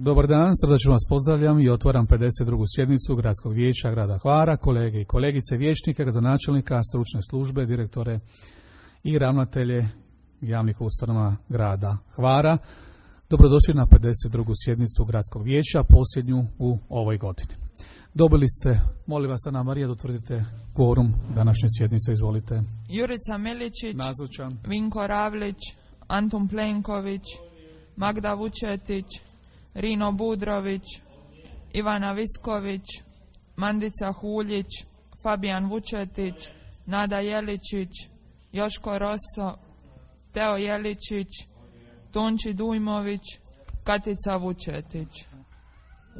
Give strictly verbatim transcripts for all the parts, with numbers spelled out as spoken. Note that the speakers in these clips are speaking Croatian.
Dobar dan, srdačno vas pozdravljam i otvaram pedeset drugu sjednicu Gradskog vijeća grada Hvara, kolege i kolegice, vijećnike, gradonačelnika, stručne službe, direktore i ravnatelje javnih ustanova grada Hvara. Dobrodošli na pedeset drugu sjednicu Gradskog vijeća, posljednju u ovoj godini. Dobili ste, molim vas Ana Marija da utvrdite kvorum današnje sjednice, izvolite. Jurica Miličić, nazočan. Vinko Ravlić, Antun Plenković, Magda Vučetić, Rino Budrović, Ivana Visković, Mandica Huljić, Fabijan Vučetić, Nada Jeličić, Joško Roso, Teo Jeličić, Tonči Dujmović, Katica Vučetić.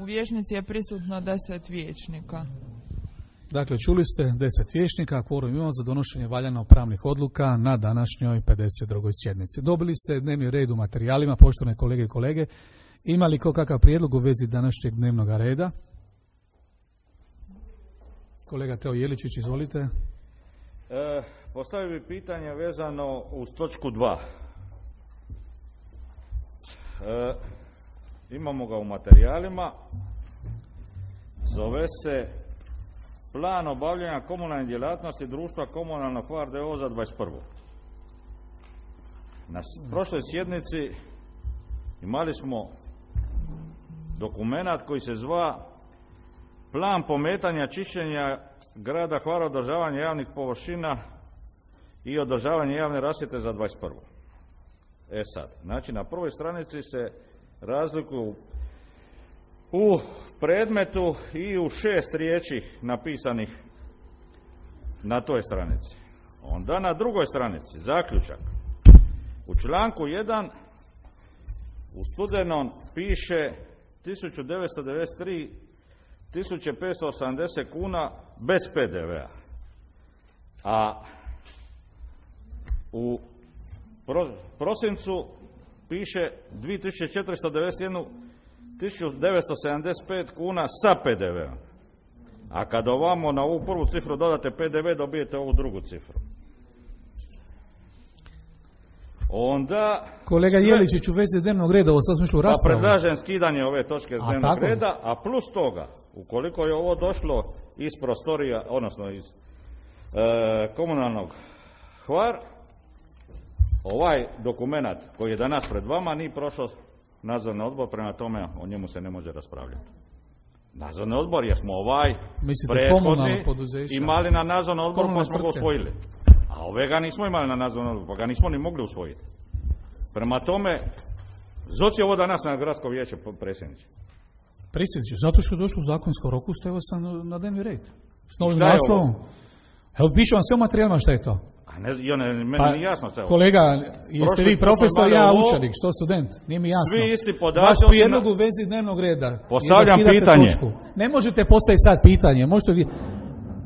U vijećnici je prisutno deset vijećnika. Dakle, čuli ste deset vijećnika, kvorum imamo za donošenje valjano pravnih odluka na današnjoj pedeset drugoj sjednici. Dobili ste dnevni red u materijalima, poštovane kolege i kolege. Ima li ko kakav prijedlog u vezi današnjeg dnevnog reda? Kolega Teo Jeličić, izvolite. E, postavio bi pitanje vezano uz točku dva. E, imamo ga u materijalima. Zove se Plan obavljanja komunalne djelatnosti društva Komunalno Hvar d o o za dvadeset prvu. Na prošloj sjednici imali smo dokumenat koji se zva Plan pometanja čišćenja grada Hvara, održavanje javnih površina i održavanje javne rasvjete za dvadeset prvu. E sad, znači na prvoj stranici se razlikuju u predmetu i u šest riječi napisanih na toj stranici. Onda na drugoj stranici zaključak. U članku jedan u studenom piše tisuću devetsto devedeset tri tisuće petsto osamdeset kuna bez pe de ve a. A u prosincu piše dvije tisuće četiristo devedeset jedna tisuću devetsto sedamdeset pet kuna sa pe de ve om. A kad ovamo na ovu prvu cifru dodate pe de ve, dobijete ovu drugu cifru. Onda kolega sve... Jeličić, u vezi dnevnog reda, ovo sad smo išli u raspravu. Pa predlažem skidanje ove točke s dnevnog a, reda, a plus toga, ukoliko je ovo došlo iz prostorija, odnosno iz e, komunalnog Hvar, ovaj dokumenat koji je danas pred vama nije prošao nadzorni odbor, prema tome o njemu se ne može raspravljati. Nadzorni odbor, jer smo ovaj mislite prethodni imali na nadzornom odboru pa smo ga usvojili. A ove ga nismo imali na nadzornom odboru, pa ga nismo ni mogli usvojiti. Prema tome, zoci ovo danas na gradsko vijeće, predsjedniče. Predsjedniče, zato što je došlo u zakonskom roku, stavio sam na dnevni red. S novim naslovom. Evo, piše vam sve u materijalima šta je to. A ne, jo, ne, meni pa, nije jasno celo. Kolega, jeste Prošli, vi profesor, ja ovo, učenik, što student, nije mi jasno. Svi isti podaci. Vaš prijedlog u vezi dnevnog reda. Postavljam pitanje. Točku. Ne možete postaviti sad pitanje, možete vi...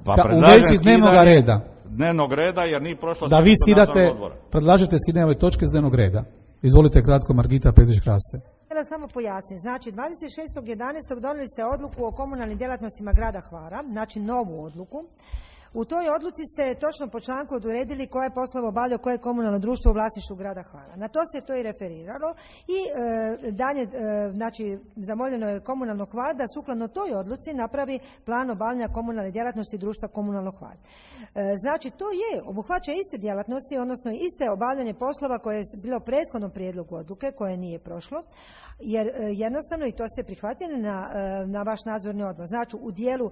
Pa Ka, u vezi dnevnog reda. Dnevnog reda, jer nije prošlo... Da vi skidate, predlažete skidanje ove točke s dnevnog reda. Izvolite kratko, Margita Petrić-Kraste. Htjela samo pojasniti. Znači, dvadeset šestog jedanaestog donijeli ste odluku o komunalnim djelatnostima grada Hvara, znači novu odluku. U toj odluci ste točno po članku odredili koje poslove obavlja koje komunalno društvo u vlasništvu grada Hvara. Na to se to i referiralo i e, dalje, e, znači, zamoljeno je komunalno Hvar da sukladno toj odluci napravi plan obavljanja komunalne djelatnosti društva komunalno Hvar. E, znači, to je, obuhvaća iste djelatnosti, odnosno iste obavljanje poslova koje je bilo u prethodnom prijedlogu odluke, koje nije prošlo, jer e, jednostavno, i to ste prihvatili na, e, na vaš nadzorni odbor. Znači, u dijelu e,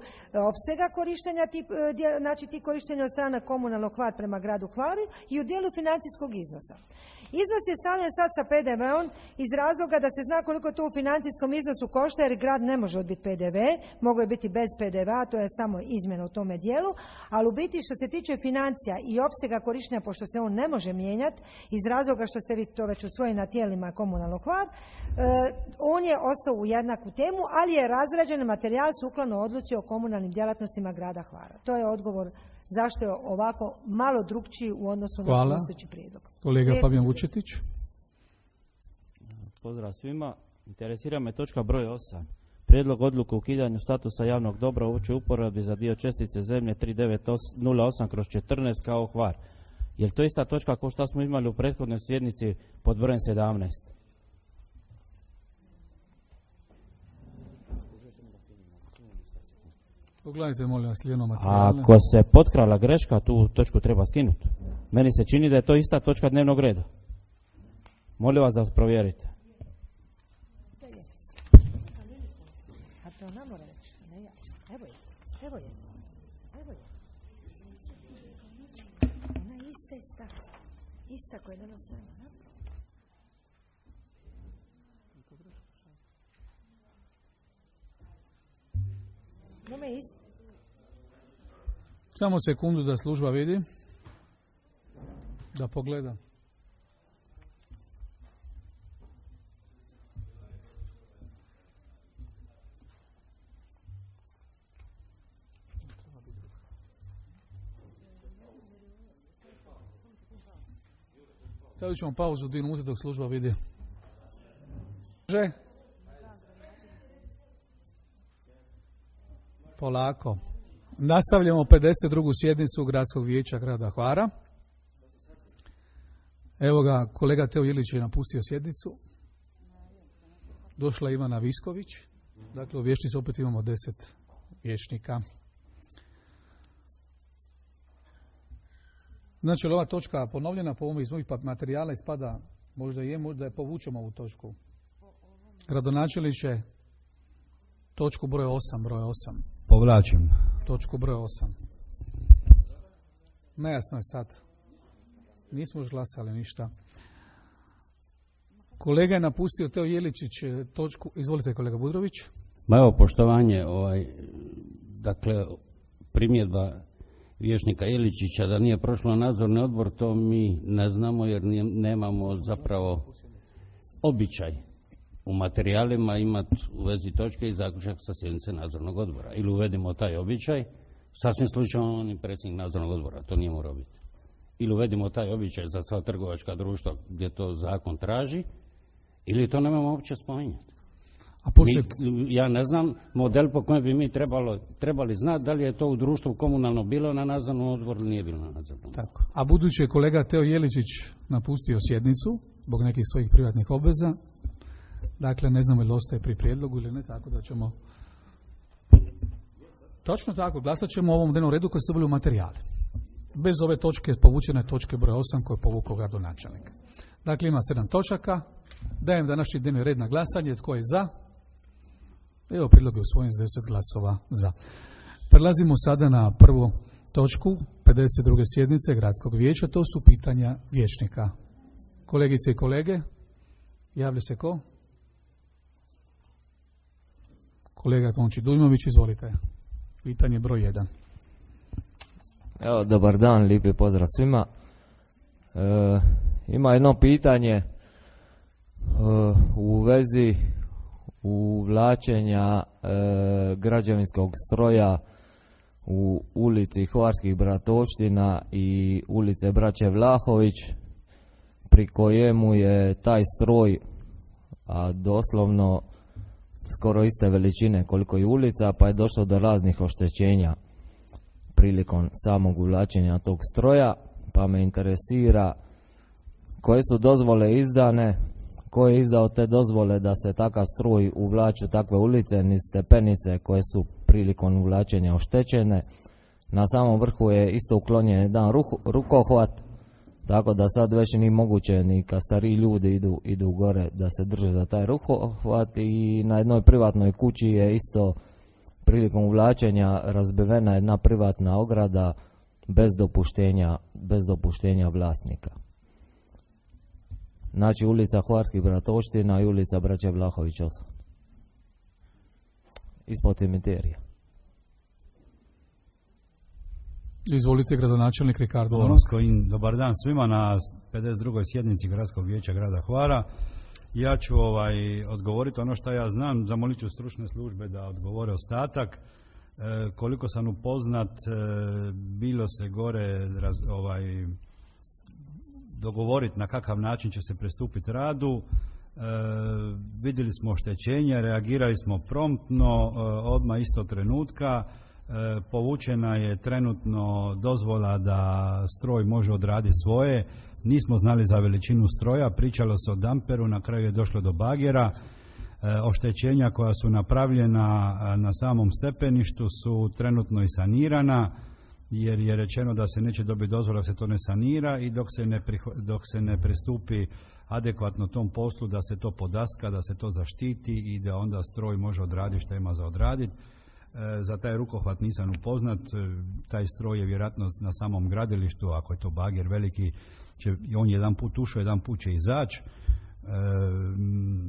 opsega korištenja tip, e, djel, znači ti korištenja od strana komunalnog Hvar prema gradu Hvaru i u dijelu financijskog iznosa. Iznos je stavljen sad sa pe de ve om iz razloga da se zna koliko to u financijskom iznosu košta, jer grad ne može odbiti pe de ve, mogo je biti bez pe de ve a, to je samo izmjena u tome dijelu, ali u biti što se tiče financija i opsega korištenja, pošto se on ne može mijenjati iz razloga što ste vi to već usvojili na tijelima komunalnog Hvar, e, on je ostao u jednaku temu, ali je razrađen materijal sukladno odluci o komunalnim djelatnostima grada Hvara. To je odgovor zašto je ovako malo drukčiji u odnosu Hvala. na postojeći prijedlog. Kolega Fabijan Vučetić. Pozdrav svima. Interesira me točka broj osam. Prijedlog odluke o ukidanju statusa javnog dobra u općoj uporabi za dio čestice zemlje tri devet nula osam kroz četrnaest kao Hvar. Je li to ista točka kao što smo imali u prethodnoj sjednici pod brojem sedamnaest? Pogledajte, molim vas, lijeno materijale. Ako se potkrala greška, tu točku treba skinuti. Meni se čini da je to ista točka dnevnog reda. Molim vas da provjerite. A to ona mora reći, ne ja. Evo je, evo je, evo je. Ona je ista, ista, ista koja je danas svema. Samo sekundu da služba vidi, da pogleda. Stavit ćemo pauzu dvije minute dok služba vidi. Polako. Nastavljamo pedeset drugu sjednicu Gradskog vijeća grada Hvara. Evo ga, kolega Teo Ilić je napustio sjednicu. Došla Ivana Visković. Dakle, u vijećnici opet imamo deset vijećnika. Znači, ova točka ponovljena po ovom iz mojih materijala ispada, možda je, možda je povučemo ovu točku. Gradonačelniče, točku broj osam, broj osam. Povlačim. Točku broj osam. Nejasno je sad. Nismo još glasali ništa. Kolega je napustio Teo Jeličić točku. Izvolite, kolega Budrović. Ma evo, poštovanje, ovaj, dakle, primjedba vijećnika Iličića da nije prošlo nadzorni odbor, to mi ne znamo jer nemamo zapravo običaj u materijalima imati u vezi točke i zaključak sa sjednice nadzornog odbora. Ili uvedimo taj običaj, sasvim slučajno on i predsjednik nadzornog odbora, to nije morao biti. Ili uvedimo taj običaj za sva trgovačka društva gdje to zakon traži, ili to nemamo uopće spominjati. A pošto... mi, ja ne znam model po kojem bi mi trebalo, trebali znati da li je to u društvu komunalno bilo na nadzornom odboru ili nije bilo na nadzornom odboru. Tako. A budući je kolega Teo Jeličić napustio sjednicu zbog nekih svojih privatnih obveza, dakle ne znamo ili ostaje pri prijedlogu ili ne, tako da ćemo... Točno tako, glasat ćemo o ovom dnevnom redu koji ste dobili u materijale. Bez ove točke, povučene točke broj osam koje je povukao gradonačelnik. Dakle, ima sedam točaka. Dajem današnji dnevni red na glasanje. Tko je za? Evo, prijedlog je usvojen s deset glasova za. Prelazimo sada na prvu točku pedeset druge sjednice Gradskog vijeća. To su pitanja vijećnika. Kolegice i kolege, javlja se ko? Kolega Tonči Dujmović, izvolite. Pitanje broj jedan. Evo, dobar dan, lijepi pozdrav svima. E, ima jedno pitanje e, u vezi uvlačenja e, građevinskog stroja u ulici Hvarskih Bratovština i ulice Braće Vlahović, pri kojemu je taj stroj, a doslovno skoro iste veličine koliko i ulica, pa je došlo do raznih oštećenja prilikom samog uvlačenja tog stroja, pa me interesira koje su dozvole izdane, ko je izdao te dozvole da se takav stroj uvlači u takve ulice, niz stepenice koje su prilikom uvlačenja oštećene. Na samom vrhu je isto uklonjen jedan rukohvat, tako da sad već nije moguće ni kad stariji ljudi idu, idu gore da se drže za taj rukohvat, i na jednoj privatnoj kući je isto prilikom uvlačenja razbivena jedna privatna ograda bez dopuštenja, bez dopuštenja vlasnika. Znači ulica Hvarskih Bratovština i ulica Braće Vlahović osam. Ispod cimiterija. Izvolite, gradonačelnik Ricardo Onosko, dobar dan svima na pedeset drugoj sjednici Gradskog vijeća grada Hvara. Ja ću ovaj, odgovoriti ono što ja znam, zamolit ću stručne službe da odgovore ostatak. E, koliko sam upoznat, e, bilo se gore raz, ovaj, dogovoriti na kakav način će se pristupiti radu. E, vidjeli smo oštećenje, reagirali smo promptno, e, odmah isto trenutka. E, povučena je trenutno dozvola da stroj može odraditi svoje. Nismo znali za veličinu stroja, pričalo se o damperu, na kraju je došlo do bagera. oštećenja koja su napravljena na samom stepeništu su trenutno i sanirana, jer je rečeno da se neće dobiti dozvola da se to ne sanira i dok se ne, prihva, dok se ne pristupi adekvatno tom poslu da se to podaska, da se to zaštiti i da onda stroj može odraditi što ima za odraditi. E, za taj rukohvat nisam upoznat, taj stroj je vjerojatno na samom gradilištu, ako je to bager veliki, će, on jedan put ušao, jedan put će izaći. E,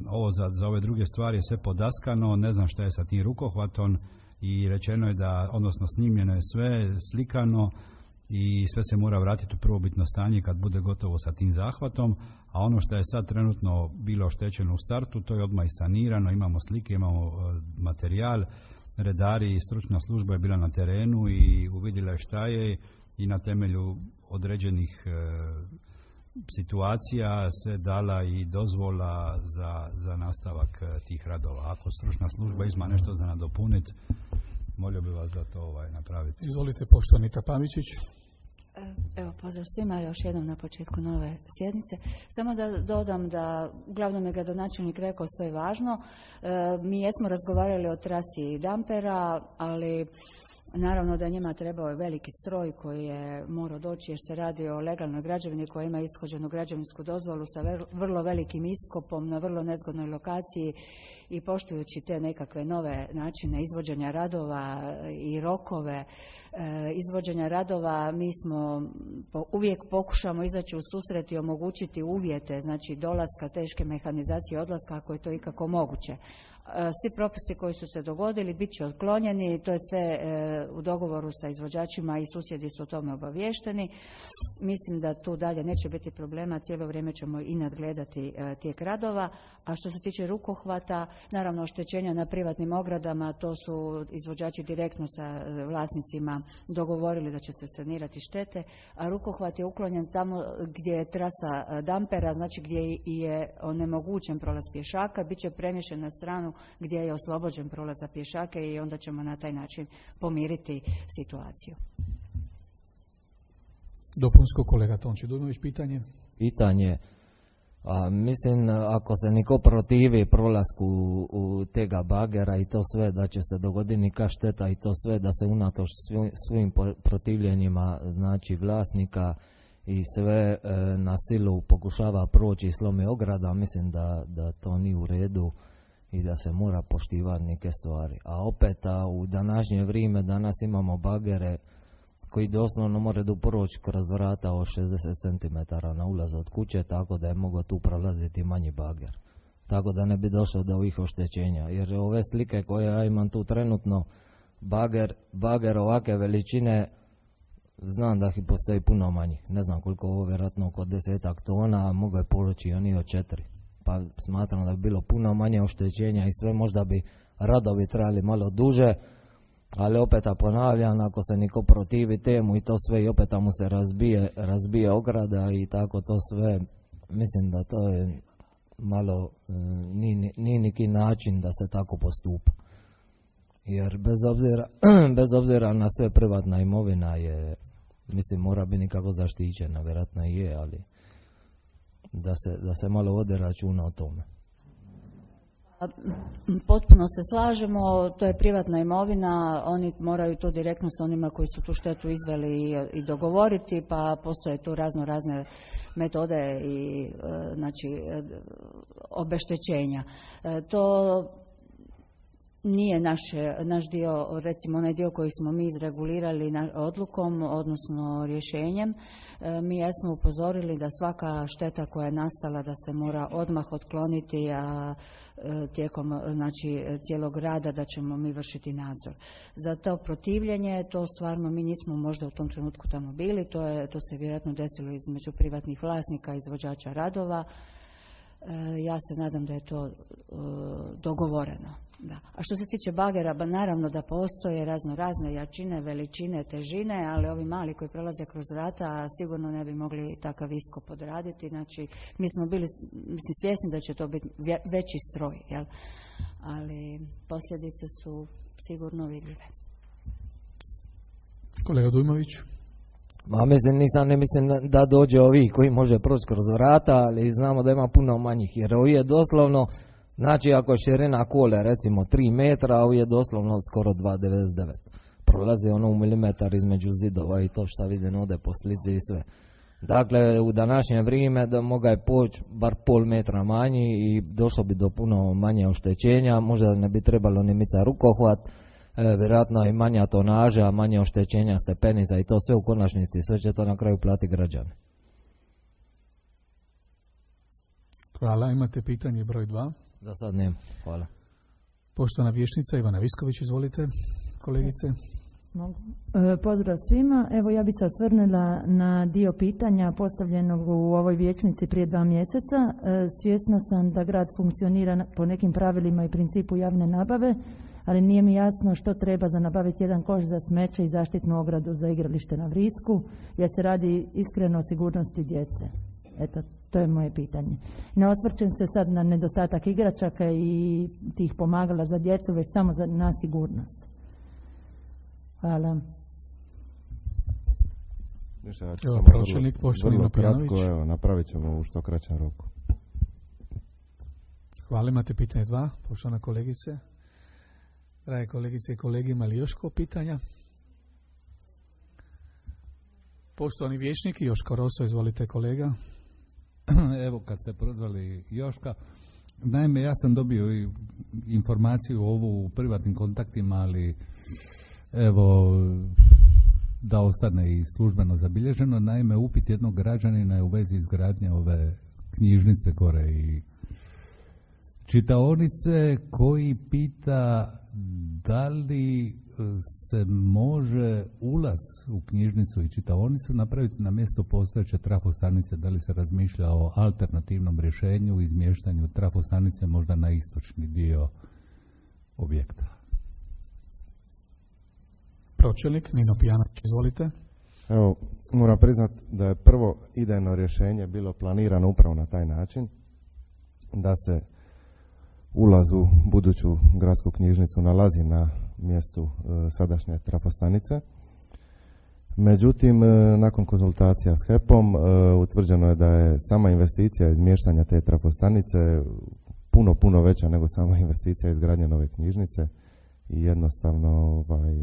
ovo za, za ove druge stvari je sve podaskano, ne znam šta je sa tim rukohvatom i rečeno je da, odnosno snimljeno je sve, slikano i sve se mora vratiti u prvobitno stanje kad bude gotovo sa tim zahvatom, a ono što je sad trenutno bilo oštećeno u startu, to je odmah i sanirano, imamo slike, imamo materijal, redari i stručna služba je bila na terenu i uvidjela je šta je i na temelju određenih e, situacija se dala i dozvola za, za nastavak tih radova. Ako stručna služba ima nešto za nadopuniti, molio bi vas da to ovaj, napraviti. Izvolite, poštovani Tapamičić. Evo, pozdrav svima još jednom na početku nove sjednice. Samo da dodam da uglavnom je gradonačelnik rekao sve važno. E, mi jesmo razgovarali o trasi dampera, ali naravno da njima trebao je veliki stroj koji je morao doći jer se radi o legalnoj građevini koja ima ishođenu građevinsku dozvolu sa vrlo velikim iskopom na vrlo nezgodnoj lokaciji i poštujući te nekakve nove načine izvođenja radova i rokove e, izvođenja radova, mi smo po, uvijek pokušamo izaći u susret i omogućiti uvjete, znači dolaska teške mehanizacije i odlaska ako je to ikako moguće. Svi propusti koji su se dogodili bit će otklonjeni, to je sve e, u dogovoru sa izvođačima i susjedi su o tome obaviješteni. Mislim da tu dalje neće biti problema, cijelo vrijeme ćemo i nadgledati e, tijek radova. A što se tiče rukohvata, naravno oštećenja na privatnim ogradama, to su izvođači direktno sa e, vlasnicima dogovorili da će se sanirati štete, a rukohvat je uklonjen tamo gdje je trasa dampera, znači gdje je onemogućen prolaz pješaka, bit će premješten na stranu gdje je oslobođen prolaz za pješake i onda ćemo na taj način pomiriti situaciju. Dopunsko, kolega Tonči Dujmović, pitanje? Pitanje, a, mislim ako se niko protivi prolasku u, u tega bagera i to sve, da će se dogoditi neka šteta i to sve, da se unatoč svim, svim protivljenjima, znači vlasnika i sve e, na silu pokušava proći i slomi ograda, mislim da, da to nije u redu i da se mora poštivati neke stvari. A opet a u današnje vrijeme danas imamo bagere koji doslovno moraju proći kroz vrata od šezdeset centimetara na ulaz od kuće, tako da je mogao tu prolaziti manji bager. Tako da ne bi došlo do ovih oštećenja. Jer ove slike koje ja imam tu trenutno, bager, bager ovake veličine, znam da ih postoji puno manjih. Ne znam koliko ovo, vjerojatno oko desetak tona, a mogu je poroći oni od četiri. Pa smatram da bi bilo puno manje oštećenja i sve, možda bi radovi trajali malo duže, ali opet ponavljam, ako se niko protivi temu i to sve i opet mu se razbije, razbije ograda i tako to sve, mislim da to je malo, nije ni neki način da se tako postupa. Jer bez obzira, bez obzira na sve, privatna imovina je, mislim, mora biti nikako zaštićena, vjerojatno i je, ali da se, da se malo vode računa o tome. Potpuno se slažemo, to je privatna imovina, oni moraju to direktno sa onima koji su tu štetu izveli i, i dogovoriti, pa postoje tu razno razne metode i znači obeštećenja. To nije naš, naš dio, recimo onaj dio koji smo mi izregulirali odlukom, odnosno rješenjem. Mi jesmo upozorili da svaka šteta koja je nastala da se mora odmah otkloniti, a tijekom znači, cijelog rada da ćemo mi vršiti nadzor. Za to protivljenje, to stvarno mi nismo možda u tom trenutku tamo bili, to, je, to se vjerojatno desilo između privatnih vlasnika i izvođača radova. Ja se nadam da je to dogovoreno. Da. A što se tiče bagera, ba naravno da postoje razno razne jačine, veličine, težine, ali ovi mali koji prelaze kroz vrata sigurno ne bi mogli takav iskop odraditi. Znači, mi smo bili mislim, svjesni da će to biti veći stroj, jel? Ali posljedice su sigurno vidljive. Kolega Dujmović. Ma mislim, nisam ne mislim da dođe ovi koji može proći kroz vrata, ali znamo da ima puno manjih, jer ovi je doslovno Znači ako je širina kole recimo tri metra, a je doslovno skoro dva zarez devedeset devet. Prolazi ono u milimetar između zidova i to šta vidim ovdje po slici i sve. Dakle, u današnje vrijeme da moga je poći bar pol metra manji i došlo bi do puno manje oštećenja, možda ne bi trebalo ni mica rukohvat, e, vjerojatno i manja tonaža, manje oštećenja stepenica i to sve u konačnici, sve će to na kraju plati građani. Hvala, imate pitanje broj dva? Za sad nema, hvala. Poštovana vijećnica Ivana Visković, izvolite, kolegice. Mogu. E, pozdrav svima. Evo ja bih se osvrnula na dio pitanja postavljenog u ovoj vijećnici prije dva mjeseca. E, svjesna sam da grad funkcionira po nekim pravilima i principu javne nabave, ali nije mi jasno što treba za nabaviti jedan koš za smeće i zaštitnu ogradu za igralište na Vrisku, jer se radi iskreno o sigurnosti djece. Eto, to je moje pitanje. Ne osvrćem se sad na nedostatak igračaka i tih pomagala za djecu, već samo za, na sigurnost. Hvala. Ništa, ja ću evo, samo pročelnik, vrlo, vrlo kratko, evo, napravit ćemo u što kraćem roku. Hvala, imate pitanje dva, poštovana kolegice. Drage kolegice i kolege, ima li još ko pitanja? Poštovani vijećnik Joško Roso, izvolite kolega. Evo kad ste prozvali Joška, naime ja sam dobio informaciju ovu u privatnim kontaktima, ali evo da ostane i službeno zabilježeno. Naime, upit jednog građanina je u vezi izgradnje ove knjižnice gore i čitaonice, koji pita da li se može ulaz u knjižnicu i čitaonicu napraviti na mjesto postojeće trafostanice, da li se razmišlja o alternativnom rješenju, izmještanju trafostanice možda na istočni dio objekta. Pročelnik Nino Pijanović, izvolite. Evo, moram priznati da je prvo idejno rješenje bilo planirano upravo na taj način, da se ulaz u buduću gradsku knjižnicu nalazi na mjestu e, sadašnje trafostanice. Međutim, e, nakon konzultacija s H E P-om e, utvrđeno je da je sama investicija izmještanja te trafostanice puno, puno veća nego sama investicija izgradnje nove knjižnice i jednostavno ovaj,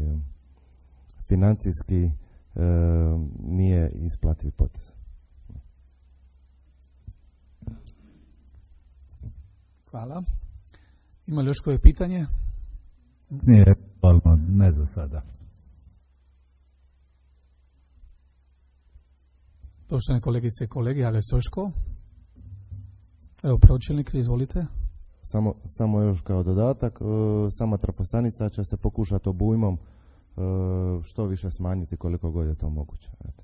financijski e, nije isplativ potez. Hvala. Ima li još koje pitanje? Nije, ne za sada. Poštovane kolegice i kolege, javlja se još ko? Evo, pročelnik, izvolite. Samo, samo još kao dodatak, e, sama trafostanica će se pokušati obujmom e, što više smanjiti koliko god je to moguće. Eto.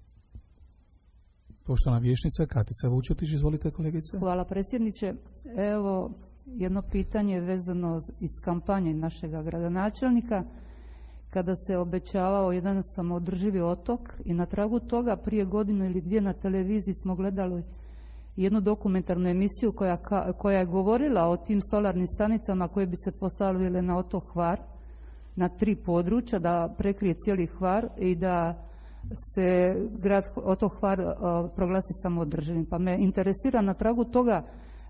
Poštovana vijećnica Katica Vučetić, izvolite kolegice. Hvala predsjedniče. Evo jedno pitanje vezano iz kampanje našeg gradonačelnika, kada se obećavao jedan samoodrživi otok i na tragu toga prije godinu ili dvije na televiziji smo gledali jednu dokumentarnu emisiju koja, koja je govorila o tim solarnim stanicama koje bi se postavile na otok Hvar, na tri područja, da prekrije cijeli Hvar i da se grad otok Hvar uh, proglasi samoodrživim. Pa me interesira na tragu toga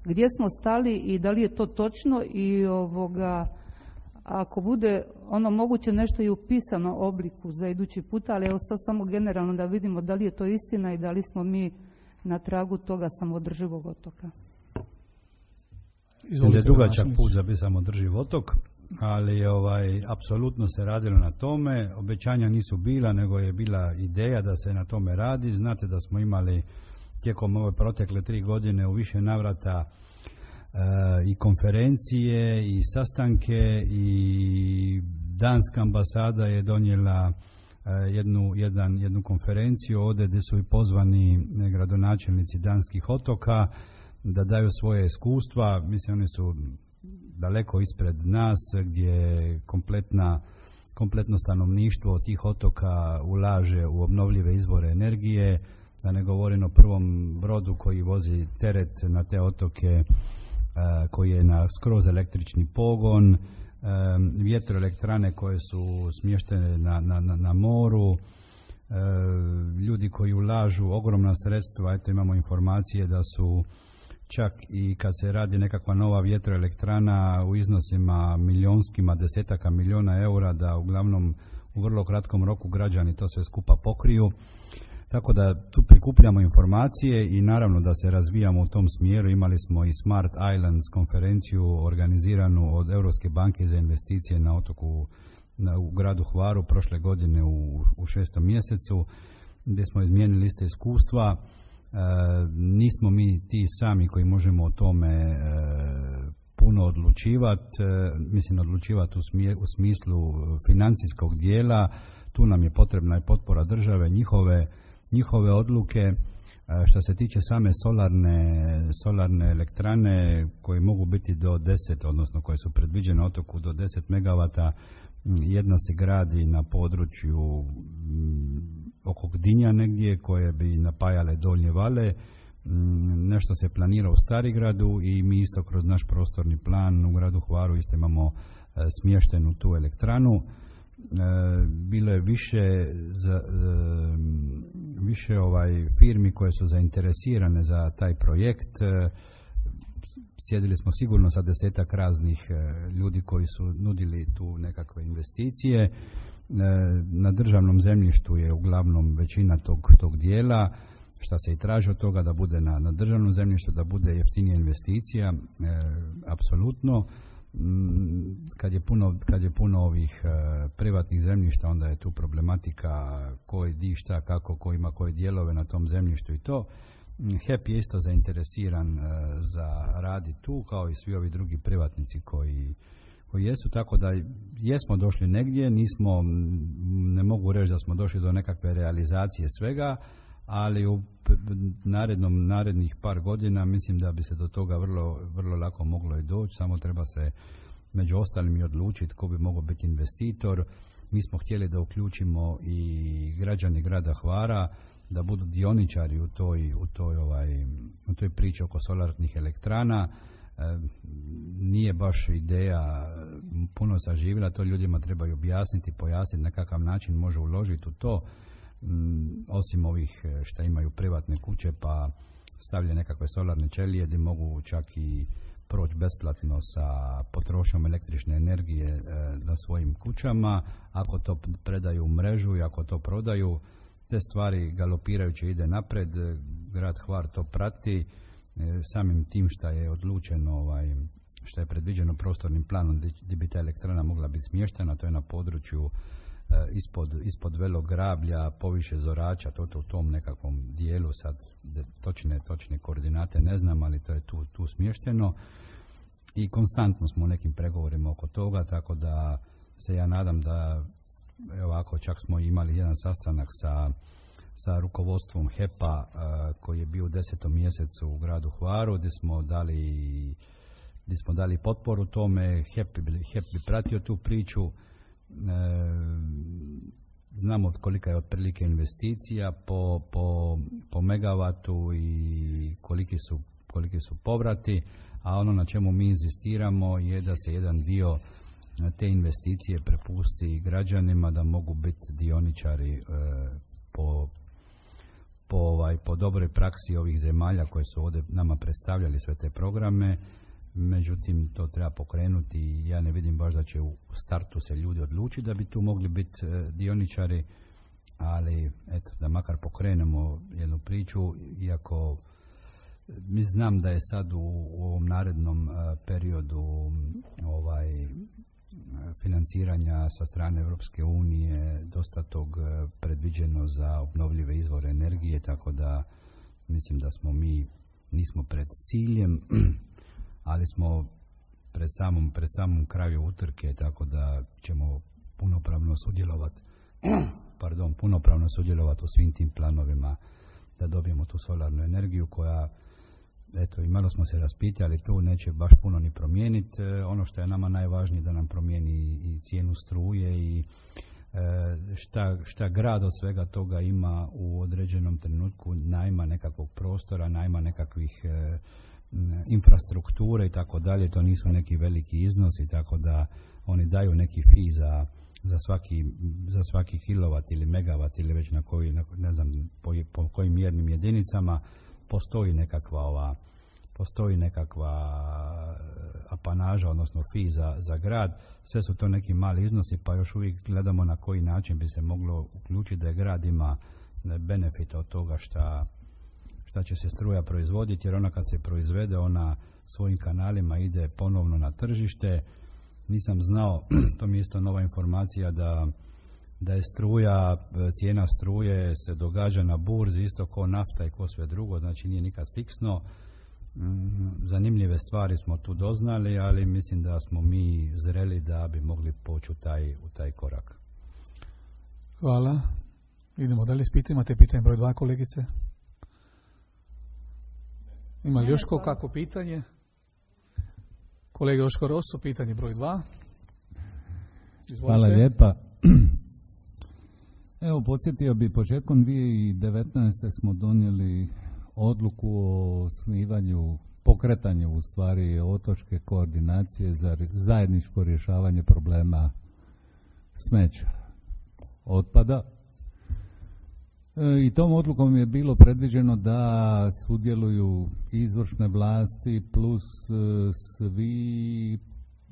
gdje smo stali i da li je to točno i ovoga, ako bude ono moguće nešto i u pisanom obliku za idući puta, ali evo sad samo generalno da vidimo da li je to istina i da li smo mi na tragu toga samoodrživog otoka. Izvolite, je dugačak put za bi samoodrživ otok, ali ovaj, apsolutno se radilo na tome. Obećanja nisu bila, nego je bila ideja da se na tome radi. Znate da smo imali tijekom ove protekle tri godine u više navrata e, i konferencije i sastanke i danska ambasada je donijela e, jednu, jedan, jednu konferenciju ovdje gdje su i pozvani gradonačelnici danskih otoka da daju svoje iskustva. Mislim, oni su daleko ispred nas, gdje kompletna, kompletno stanovništvo tih otoka ulaže u obnovljive izvore energije, da ne govorim o prvom brodu koji vozi teret na te otoke, koji je na skroz električni pogon, vjetroelektrane koje su smještene na, na, na moru, ljudi koji ulažu ogromna sredstva. Eto, imamo informacije da su čak i kad se radi nekakva nova vjetroelektrana u iznosima milionskima, desetaka milijuna eura, da uglavnom u vrlo kratkom roku građani to sve skupa pokriju. Tako da tu prikupljamo informacije i naravno da se razvijamo u tom smjeru. Imali smo i Smart Islands konferenciju organiziranu od Europske banke za investicije na otoku na, u gradu Hvaru prošle godine u, u šestom mjesecu, gdje smo izmijenili isto iskustva. E, nismo mi ti sami koji možemo o tome e, puno odlučivati, e, mislim odlučivati u, smje, u smislu financijskog dijela. Tu nam je potrebna i potpora države, njihove njihove odluke. Što se tiče same solarne, solarne elektrane koje mogu biti do deset, odnosno koje su predviđene otoku do deset megavata, jedna se gradi na području oko Gdinja negdje koje bi napajale Donje Vale, nešto se planira u Starigradu i mi isto kroz naš prostorni plan u gradu Hvaru isto imamo smještenu tu elektranu. Bilo je više za, više ovaj firmi koje su zainteresirane za taj projekt. Sjedili smo sigurno sa desetak raznih ljudi koji su nudili tu nekakve investicije. Na državnom zemljištu je uglavnom većina tog, tog dijela, šta se i traži od toga da bude na, na državnom zemljištu, da bude jeftinija investicija, e, apsolutno. Kad je puno, kad je puno ovih e, privatnih zemljišta, onda je tu problematika koji di šta, kako, ko ima koje dijelove na tom zemljištu i to. H E P je isto zainteresiran e, za radi tu, kao i svi ovi drugi privatnici koji, koji jesu, tako da jesmo došli negdje, nismo, ne mogu reći da smo došli do nekakve realizacije svega, ali u narednom, narednih par godina mislim da bi se do toga vrlo, vrlo lako moglo i doći, samo treba se među ostalim i odlučiti ko bi mogao biti investitor. Mi smo htjeli da uključimo i građani grada Hvara, da budu dioničari u toj, u toj, ovaj, u toj priči oko solarnih elektrana. E, nije baš ideja puno saživjela, to ljudima trebaju objasniti, pojasniti na kakav način može uložiti u to. Osim ovih što imaju privatne kuće pa stavlja nekakve solarne ćelije gdje mogu čak i proći besplatno sa potrošnjom električne energije e, na svojim kućama. Ako to predaju u mrežu i ako to prodaju, te stvari galopirajuće ide napred. Grad Hvar to prati e, samim tim što je odlučeno, ovaj, što je predviđeno prostornim planom gdje bi ta elektrana mogla biti smještena. To je na području Ispod, ispod Velog Grablja, poviše Zorača, to, to u tom nekakvom dijelu, sad točne, točne koordinate ne znam, ali to je tu, tu smješteno i konstantno smo u nekim pregovorima oko toga, tako da se ja nadam da, evo ovako, čak smo imali jedan sastanak sa, sa rukovodstvom H E P-a koji je bio u desetom mjesecu u gradu Hvaru, gdje smo dali, gdje smo dali potporu tome. H E P, H E P bi pratio tu priču. E, znamo kolika je otprilike investicija po, po, po megavatu i koliki su, koliki su povrati, a ono na čemu mi inzistiramo je da se jedan dio te investicije prepusti građanima, da mogu biti dioničari e, po, po, ovaj, po dobroj praksi ovih zemalja koje su ovdje nama predstavljali sve te programe. Međutim, to treba pokrenuti i ja ne vidim baš da će u startu se ljudi odlučiti da bi tu mogli biti e, dioničari, ali eto, da makar pokrenemo jednu priču, iako mi znam da je sad u, u ovom narednom e, periodu ovaj financiranja sa strane Europske unije dosta tog e, predviđeno za obnovljive izvore energije, tako da mislim da smo mi, nismo pred ciljem, ali smo pred samom, pred samom kraju utrke, tako da ćemo punopravno sudjelovati pardon, punopravno sudjelovati u svim tim planovima da dobijemo tu solarnu energiju koja, eto, i malo smo se raspitali, tu neće baš puno ni promijeniti. E, ono što je nama najvažnije da nam promijeni i cijenu struje i e, šta, šta grad od svega toga ima u određenom trenutku, najma nekakvog prostora, najma nekakvih e, infrastrukture i tako dalje, to nisu neki veliki iznosi, tako da oni daju neki fee za, za, svaki, za svaki kilovat ili megavat ili već na koji, ne znam, po, po kojim mjernim jedinicama postoji nekakva ova postoji nekakva apanaža, odnosno fi za, za grad. Sve su to neki mali iznosi, pa još uvijek gledamo na koji način bi se moglo uključiti da je grad ima benefit od toga šta, šta će se struja proizvoditi, jer ona kad se proizvede, ona svojim kanalima ide ponovno na tržište. Nisam znao, to mi je isto nova informacija, da, da je struja, cijena struje se događa na burzi isto ko nafta i ko sve drugo, znači nije nikad fiksno. Zanimljive stvari smo tu doznali, ali mislim da smo mi zreli da bi mogli poći u taj, u taj korak. Hvala. Idemo dalje s pitanjima. Imate pitanje broj dva, kolegice? Ima li još ko kako pitanje? Kolega Joško Rosso, pitanje broj dva. Izvolite. Hvala lijepa. Evo, podsjetio bi, početkom dvije tisuće devetnaeste. smo donijeli odluku o osnivanju, pokretanju u stvari otočke koordinacije za zajedničko rješavanje problema smeća, otpada. E, I tom odlukom je bilo predviđeno da sudjeluju izvršne vlasti plus e, svi,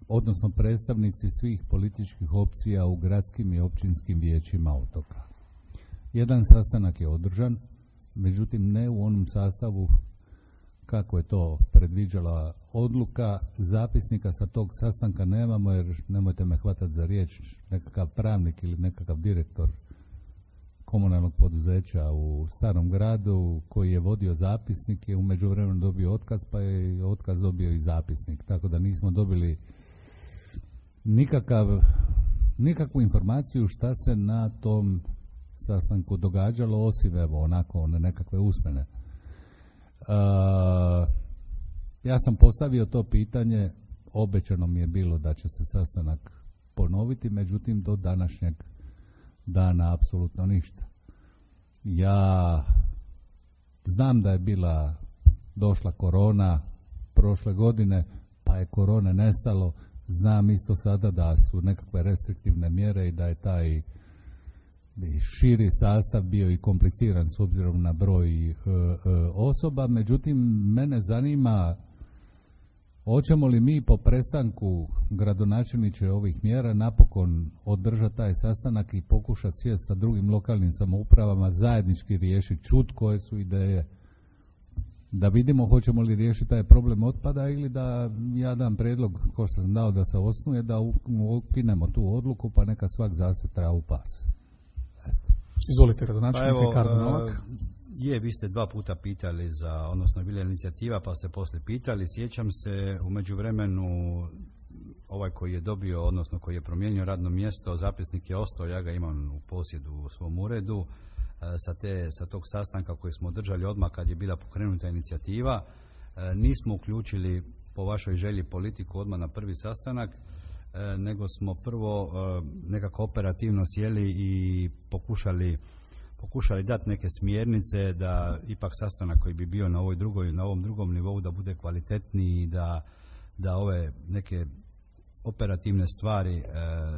odnosno predstavnici svih političkih opcija u gradskim i općinskim vijećima otoka. Jedan sastanak je održan, međutim ne u onom sastavu kako je to predviđala odluka. Zapisnika sa tog sastanka nemamo, jer nemojte me hvatati za riječ, nekakav pravnik ili nekakav direktor komunalnog poduzeća u Starom gradu koji je vodio zapisnik je u međuvremenu dobio otkaz, pa je otkaz dobio i zapisnik, tako da nismo dobili nikakav, nikakvu informaciju šta se na tom sastanku događalo, osim evo onako one nekakve usmene. Uh, ja sam postavio to pitanje, obećano mi je bilo da će se sastanak ponoviti, međutim do današnjeg dana apsolutno ništa. Ja znam da je bila došla korona prošle godine, pa je korone nestalo. Znam isto sada da su nekakve restriktivne mjere i da je taj širi sastav bio i kompliciran s obzirom na broj e, e, osoba. Međutim, mene zanima hoćemo li mi po prestanku gradonačelniče ovih mjera napokon održati taj sastanak i pokušati sjesti sa drugim lokalnim samoupravama, zajednički riješiti, čut koje su ideje, da vidimo hoćemo li riješiti taj problem otpada ili da ja dam prijedlog, ko sam dao da se osnuje, da ukinemo tu odluku pa neka svak zase travu pas. Eto. Izvolite, gradonačelnik Ricardo Novak. Je, vi ste dva puta pitali za, odnosno bila je inicijativa pa ste poslije pitali. Sjećam se, u međuvremenu ovaj koji je dobio, odnosno koji je promijenio radno mjesto, zapisnik je ostao, ja ga imam u posjedu u svom uredu, sa, te, sa tog sastanka koji smo održali odmah kad je bila pokrenuta inicijativa. Nismo uključili po vašoj želji politiku odmah na prvi sastanak, nego smo prvo nekako operativno sjeli i pokušali pokušali dati neke smjernice da ipak sastanak koji bi bio na ovoj drugoj, na ovom drugom nivou da bude kvalitetniji i da, da ove neke operativne stvari e,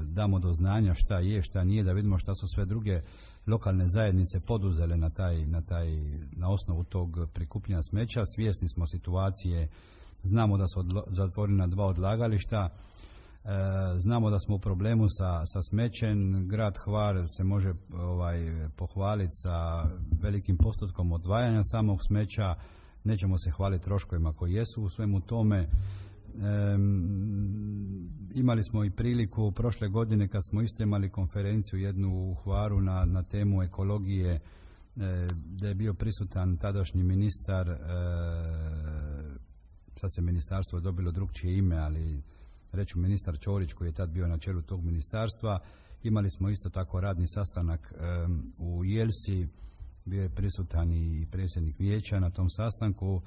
damo do znanja šta je, šta nije, da vidimo šta su sve druge lokalne zajednice poduzele na taj, na taj, na osnovu tog prikupljanja smeća. Svjesni smo situacije, znamo da su odlo, zatvorena dva odlagališta. E, znamo da smo u problemu sa, sa smećem. Grad Hvar se može ovaj, pohvaliti sa velikim postotkom odvajanja samog smeća. Nećemo se hvaliti troškovima koji jesu u svemu tome. E, imali smo i priliku prošle godine kad smo isto imali konferenciju jednu u Hvaru na, na temu ekologije, e, da je bio prisutan tadašnji ministar, e, sad se ministarstvo je dobilo drugčije ime, ali reću ministar Ćorić koji je tad bio na čelu tog ministarstva. Imali smo isto tako radni sastanak um, u Jelsi, bio je prisutan i predsjednik vijeća na tom sastanku, uh,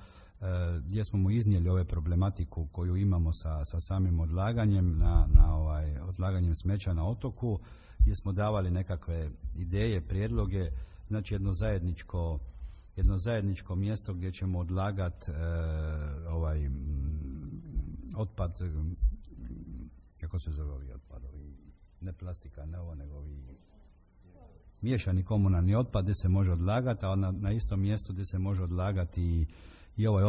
gdje smo mu iznijeli ove problematiku koju imamo sa, sa samim odlaganjem na, na ovaj, odlaganjem smeća na otoku, gdje smo davali nekakve ideje, prijedloge, znači jedno zajedničko jedno zajedničko mjesto gdje ćemo odlagati uh, ovaj otpad, kako se zove ovi otpadovi, ne plastika, ne ovo, nego ovi miješani komunalni otpad gdje se može odlagati, a na, na istom mjestu gdje se može odlagati i, i ovaj,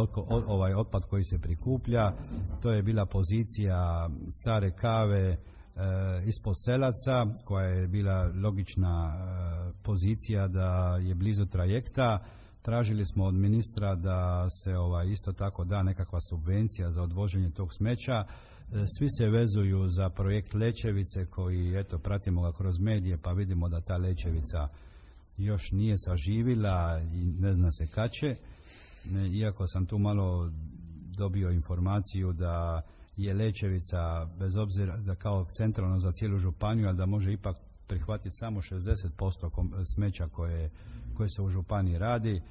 ovaj otpad koji se prikuplja. To je bila pozicija Stare Kave e, ispod Selaca, koja je bila logična e, pozicija da je blizu trajekta. Tražili smo od ministra da se ovaj, isto tako da nekakva subvencija za odvoženje tog smeća. Svi se vezuju za projekt Lećevice koji, eto, pratimo ga kroz medije pa vidimo da ta Lećevica još nije saživila i ne zna se kad će. Iako sam tu malo dobio informaciju da je Lećevica, bez obzira da kao centralno za cijelu županiju, ali da može ipak prihvatiti samo šezdeset posto smeća koje, koje se u županiji radi. E,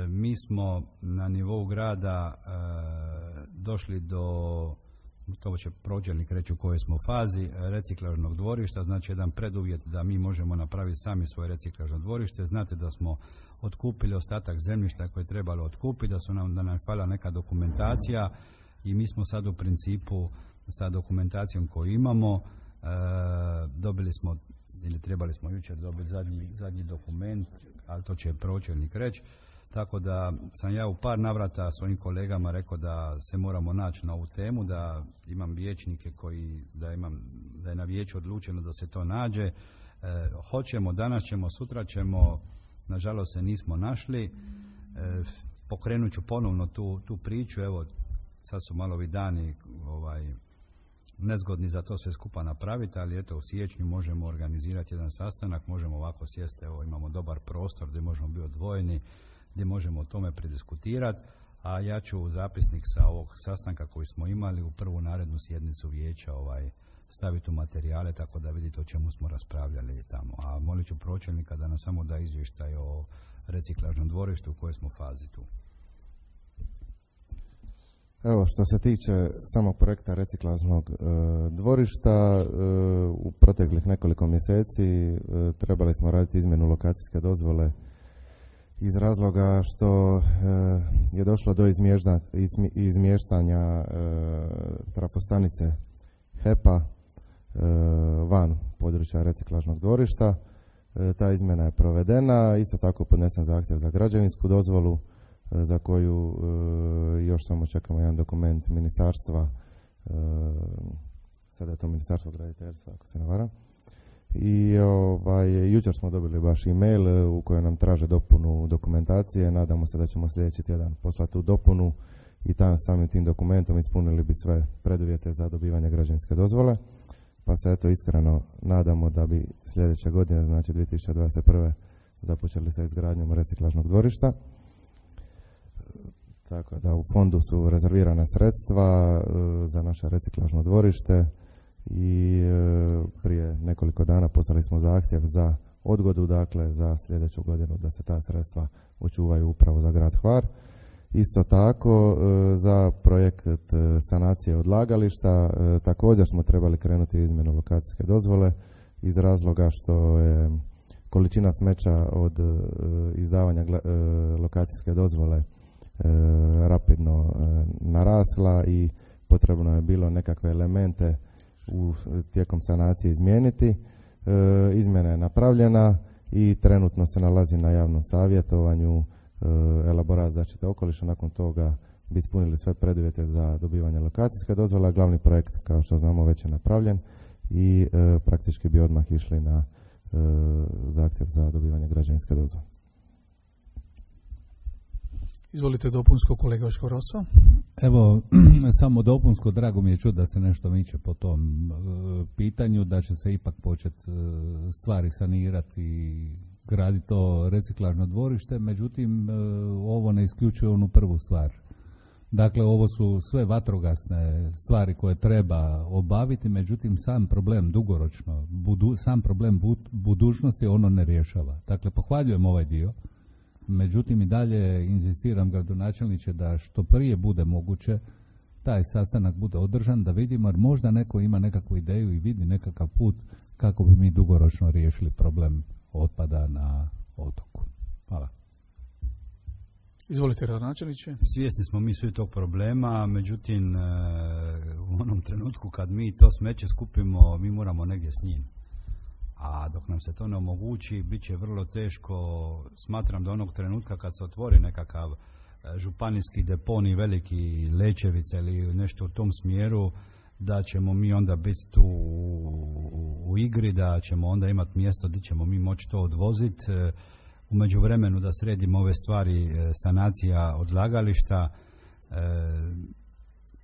mi smo na nivou grada e, došli do, to će pročelnik reći u kojoj smo fazi, reciklažnog dvorišta, znači jedan preduvjet da mi možemo napraviti sami svoje reciklažno dvorište. Znate da smo otkupili ostatak zemljišta koje je trebalo otkupiti, da su nam, da nam fala neka dokumentacija i mi smo sad u principu sa dokumentacijom koju imamo, e, dobili smo, ili trebali smo jučer dobiti zadnji, zadnji dokument, ali to će pročelnik reći. Tako da sam ja u par navrata svojim kolegama rekao da se moramo naći na ovu temu, da imam vijećnike koji, da, imam, da je na vijeću odlučeno da se to nađe. E, hoćemo, danas ćemo, sutra ćemo, nažalost se nismo našli. E, pokrenut ću ponovno tu, tu priču, evo sad su malo ovi dani ovaj, nezgodni za to sve skupa napraviti, ali eto u siječnju možemo organizirati jedan sastanak, možemo ovako sjesti, evo imamo dobar prostor gdje možemo biti odvojeni, gdje možemo o tome prediskutirati, a ja ću u zapisnik sa ovog sastanka koji smo imali u prvu narednu sjednicu vijeća ovaj, staviti u materijale tako da vidite o čemu smo raspravljali tamo. A molit ću pročelnika da nam samo da izvještaj o reciklažnom dvorištu u kojoj smo fazi tu. Evo, što se tiče samog projekta reciklažnog e, dvorišta, e, u proteklih nekoliko mjeseci e, trebali smo raditi izmjenu lokacijske dozvole iz razloga što e, je došlo do izmješta, izmi, izmještanja e, trafostanice H E P-a e, van područja reciklažnog dvorišta. E, ta izmjena je provedena, isto tako podnesen zahtjev za građevinsku dozvolu e, za koju e, još samo čekamo jedan dokument ministarstva, e, sada je to Ministarstvo graditeljstva ako se ne varam. I ovaj, jučer smo dobili baš e-mail u kojem nam traže dopunu dokumentacije. Nadamo se da ćemo sljedeći tjedan poslati tu dopunu i tam samim tim dokumentom ispunili bi sve preduvjete za dobivanje građevinske dozvole. Pa se eto iskreno nadamo da bi sljedeće godine, znači dvije tisuće dvadeset prve započeli sa izgradnjom reciklažnog dvorišta. Tako da u fondu su rezervirana sredstva e, za naše reciklažno dvorište. I e, prije nekoliko dana poslali smo zahtjev za odgodu, dakle za sljedeću godinu da se ta sredstva očuvaju upravo za grad Hvar. Isto tako e, za projekt e, sanacije odlagališta e, također smo trebali krenuti izmjenu lokacijske dozvole iz razloga što je količina smeća od e, izdavanja gla, e, lokacijske dozvole e, rapidno e, narasla i potrebno je bilo nekakve elemente u tijekom sanacije izmijeniti. E, izmjena je napravljena i trenutno se nalazi na javnom savjetovanju e, elaborat zaštite okoliša. Nakon toga bi ispunili sve preduvjete za dobivanje lokacijske dozvole. Glavni projekt, kao što znamo, već je napravljen i e, praktički bi odmah išli na e, zahtjev za dobivanje građevinske dozvole. Izvolite dopunsko, kolega Škoroso. Evo, samo dopunsko, drago mi je čuti da se nešto miče po tom e, pitanju, da će se ipak početi e, stvari sanirati i graditi to reciklažno dvorište, međutim, e, ovo ne isključuje onu prvu stvar. Dakle, ovo su sve vatrogasne stvari koje treba obaviti, međutim, sam problem dugoročno, budu, sam problem bud, budućnosti ono ne rješava. Dakle, pohvaljujem ovaj dio. Međutim, i dalje inzistiram, gradonačelniče, da što prije bude moguće taj sastanak bude održan, da vidimo, jer možda neko ima nekakvu ideju i vidi nekakav put kako bi mi dugoročno riješili problem otpada na otoku. Hvala. Izvolite, gradonačelniče. Svjesni smo mi svi tog problema, međutim, u onom trenutku kad mi to smeće skupimo, mi moramo negdje s njim. A dok nam se to ne omogući, bit će vrlo teško. Smatram da onog trenutka kad se otvori nekakav županijski deponi, veliki Lečevica ili nešto u tom smjeru, da ćemo mi onda biti tu u, u igri, da ćemo onda imati mjesto gdje ćemo mi moći to odvoziti. U međuvremenu da sredimo ove stvari, sanacija odlagališta,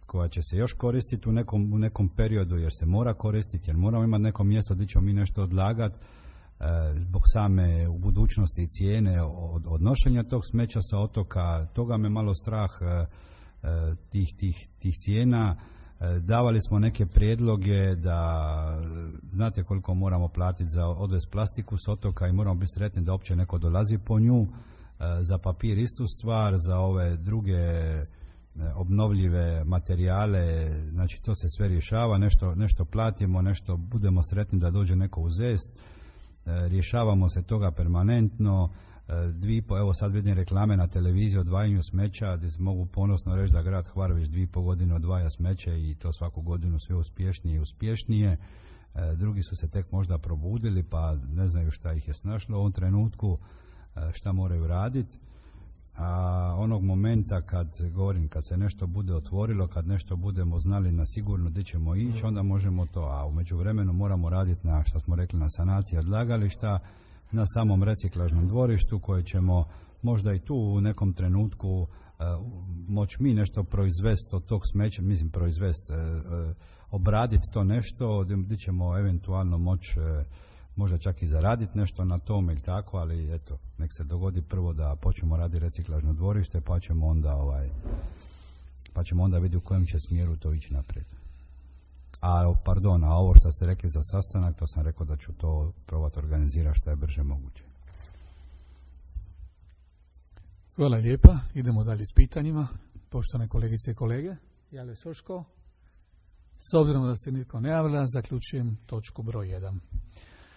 koja će se još koristiti u nekom, u nekom periodu, jer se mora koristiti, jer moramo imati neko mjesto gdje ćemo mi nešto odlagati, zbog same u budućnosti cijene od, odnošenja tog smeća sa otoka. Toga me malo strah, tih, tih, tih cijena. Davali smo neke prijedloge da, znate koliko moramo platiti za odvez plastiku s otoka i moramo biti sretni da uopće neko dolazi po nju, za papir istu stvar, za ove druge obnovljive materijale, znači to se sve rješava, nešto, nešto platimo, nešto budemo sretni da dođe neko uzest, rješavamo se toga permanentno. Dvi po, evo sad vidim reklame na televiziji o odvajanju smeća, gdje mogu ponosno reći da grad Hvar već dvije i po godine odvaja smeće i to svaku godinu sve uspješnije i uspješnije. Drugi su se tek možda probudili pa ne znaju šta ih je snašlo u ovom trenutku, šta moraju raditi. A onog momenta kad govorim, kad se nešto bude otvorilo, kad nešto budemo znali na sigurno gdje ćemo ići, onda možemo to, a u međuvremenu moramo raditi na, što smo rekli, na sanaciji odlagališta, na samom reciklažnom dvorištu koje ćemo možda i tu u nekom trenutku uh, moći mi nešto proizvesti od tog smeća, mislim proizvesti, uh, uh, obraditi to nešto, gdje ćemo eventualno moći uh, možda čak i zaraditi nešto na tome ili tako, ali eto, nek se dogodi prvo da počnemo raditi reciklažno dvorište, pa ćemo onda ovaj, pa ćemo onda vidjeti u kojem će smjeru to ići naprijed. A, pardon, a ovo što ste rekli za sastanak, to sam rekao da ću to probati organizirati što je brže moguće. Hvala lijepa. Idemo dalje s pitanjima. Poštovane kolegice i kolege, Jale Soško. S obzirom da se nitko ne javlja, zaključujem točku broj jedan.